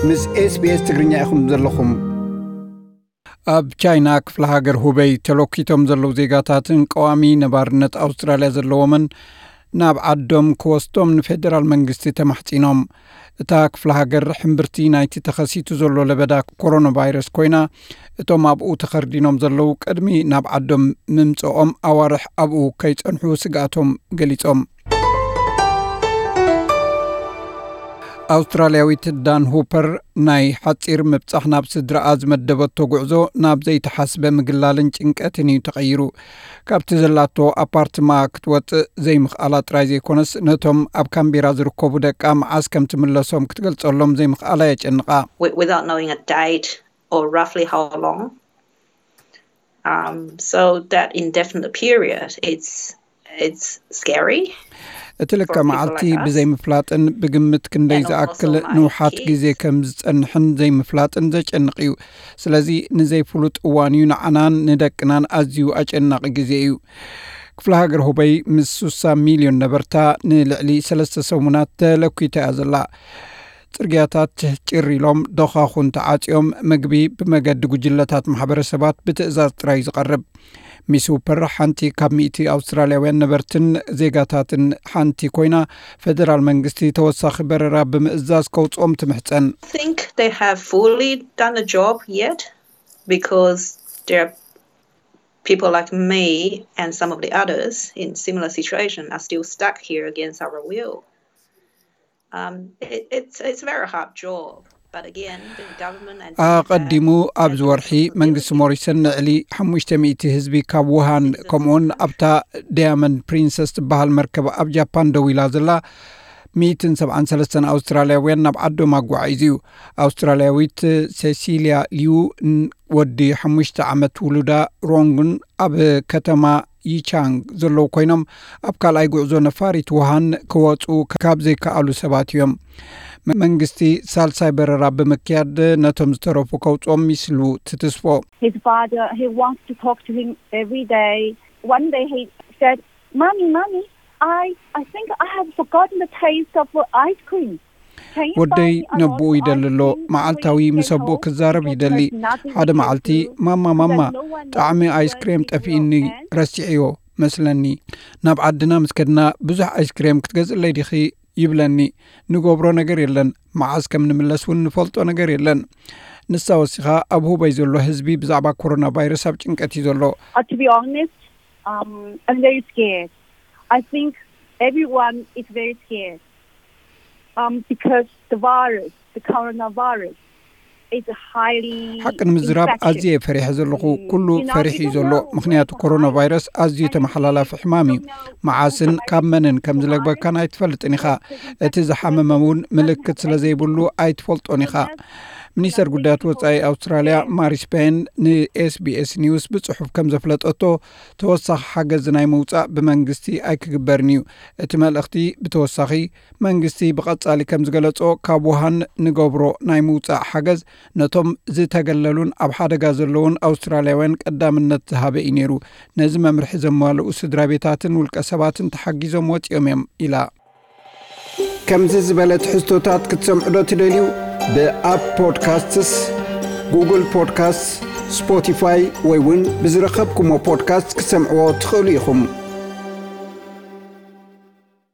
ምስ SBS ትግርኛ ኢኹም ዘለኹም። ኣብ ቻይና ክፍለ ሃገር ሁበይ ተለኪቶም ዘለዉ ዜጋታትን ቀዋሚ ነባርነት ኣውስትራልያ ዘለዎምን ናብ ዓዶም ክወስዶም ንፌደራል መንግስቲ ተማሕጺኖም። እታ ክፍለ ሃገር ሕምብርቲ ናይቲ ተኸሲቱ ዘሎ ለበዳ ኮሮና ቫይረስ ኮይና፣ እቶም ኣብኡ ተኸርዲኖም ዘለዉ ቅድሚ ናብ ዓዶም ምምጽኦም ኣዋርሕ ኣብኡ ከይጸንሑ ስግኣቶም ገሊጾም። ኣውስትራልያዊት ዳን ሁፐር ናይ ሓጺር ምብጻሕ ናብ ስድራኣ ዝመደበቶ ጉዕዞ ናብ ዘይተሓስበ ምግላልን ጭንቀትን እዩ ተቐይሩ። ካብቲ ዘላቶ ኣፓርትማ ክትወጽእ ዘይምኽኣላ ጥራይ ዘይኮነስ፣ ነቶም ኣብ ካምቤራ ዝርከቡ ደቃ መዓስ ከም ትምለሶም ክትገልጸሎም ዘይምኽኣላ የጨንቓ። Without knowing a date or roughly how long. Um, so that indefinite period, it's it's scary. እቲ ልክዕ መዓልቲ ብዘይምፍላጥን ብግምት ክንደይ ዝኣክል ንውሓት ግዜ ከም ዝጸንሕን ዘይምፍላጥን ዘጨንቕ እዩ። ስለዚ ንዘይፍሉጥ እዋን እዩ ንዓናን ንደቅናን ኣዝዩ ኣጨናቒ ግዜ እዩ። ክፍለ ሃገር ሁበይ ምስ ሱሳ ሚልዮን ነበርታ ንልዕሊ ሰለስተ ሰሙናት ተለኪታ እያ ዘላ። ጽርግያታት ጭር ኢሎም፣ ዶኻኹን ተዓጽዮም፣ ምግቢ ብመገዲ ጉጅለታት ማሕበረሰባት ብትእዛዝ ጥራይ ዝቐርብ። ሚስ ሁፐር ሓንቲ ካብ ሚእቲ ኣውስትራልያውያን ነበርትን ዜጋታትን ሓንቲ ኮይና፣ ፈደራል መንግስቲ ተወሳኺ በረራ ብምእዛዝ ከውጽኦም ትምሕጸን። I think they have fully done the job yet because there are people like me and some of the others in similar situation are still stuck here against our will. Um, it, it's it's a very hard job. But again, the government and ኣቐዲሙ ኣብዚ ወርሒ መንግስቲ ሞሪሰን ንዕሊ ሓሙሽተ ሚእቲ ህዝቢ ካብ ውሃን ከምኡውን ኣብታ ዳያመንድ ፕሪንሰስ ትበሃል መርከብ ኣብ ጃፓን ደው ኢላ ዘላ ሚእትን ሰብዓን ሰለስተን ኣውስትራልያውያን ናብ ዓዶም ኣጓዒዙ እዩ። ኣውስትራልያዊት ሴሲልያ ሊዩ ወዲ ሓሙሽተ ዓመት ውሉዳ ሮንግን ኣብ ከተማ ይቻንግ ዘለዉ ኮይኖም፣ ኣብ ካልኣይ ጉዕዞ ነፋሪት ውሃን ክወጹ ካብ ዘይከኣሉ ሰባት እዮም። መንግስቲ ሳልሳይ በረራ ብምክያድ ነቶም ዝተረፉ ከውጽኦም ይስሉ ትትስፎ። His father, he wants to talk to him every day. One day he said, "Mommy, mommy, I I think I have forgotten the taste of ice cream." ወደይ ነብኡ ይደሊ ኣሎ። መዓልታዊ ምስ ኣቦኡ ክዛረብ ይደሊ። ሓደ መዓልቲ፣ "ማማ፣ ማማ፣ ጣዕሚ ኣይስክሬም ጠፊእኒ፣ ረሲዐዮ መስለኒ። ናብ ዓድና ምስ ከድና ብዙሕ ኣይስክሬም ክትገዝእለይ ዲኺ?" ይብለኒ። ንገብሮ ነገር የለን። መዓስ ከም ንምለስ እውን ንፈልጦ ነገር የለን። ንሳ ወሲኻ፣ ኣብ ሁበይ ዘሎ ህዝቢ ብዛዕባ ኮሮና ቫይረስ ኣብ ጭንቀት እዩ ዘሎ። Uh, to be honest, um, I'm very scared. I think everyone is very scared, um, because the virus, the coronavirus, is highly ሓቂ ንምዝራብ ኣዝየ ፈሪሐ ዘለኹ። ኩሉ ፈሪሕ እዩ ዘሎ፣ ምክንያቱ ኮሮና ቫይረስ ኣዝዩ ተመሓላላፊ ሕማም እዩ። መዓስን ካብ መንን ከም ዝለግበካን ኣይትፈልጥን ኢኻ። እቲ ዝሓመመ እውን ምልክት ስለ ዘይብሉ ኣይትፈልጦን ኢኻ። ሚኒስተር ጉዳያት ወጻኢ ኣውስትራልያ ማሪስ ፔን ንኤስቢኤስ ኒውስ ብጽሑፍ ከም ዘፍለጠቶ፣ ተወሳኺ ሓገዝ ናይ ምውጻእ ብመንግስቲ ኣይክግበርን እዩ። እቲ መልእኽቲ ብተወሳኺ መንግስቲ ብቐጻሊ ከም ዝገለጾ፣ ካብ ውሃን ንገብሮ ናይ ምውጻእ ሓገዝ ነቶም ዝተገለሉን ኣብ ሓደጋ ዘለውን ኣውስትራልያውያን ቀዳምነት ዝሃበ እዩ ነይሩ። ነዚ መምርሒ ዘማልኡ ስድራ ቤታትን ውልቀ ሰባትን ተሓጊዞም ወጺኦም እዮም ኢላ። ከምዚ ዝበለ ትሕዝቶታት ክትሰምዑ ዶ ትደልዩ? ብኣፕ ፖድካስትስ፣ ጉግል ፖድካስትስ፣ ስፖቲፋይ ወይ እውን ብዝረኸብኩሞ ፖድካስት ክትሰምዕዎ ትኽእሉ ኢኹም።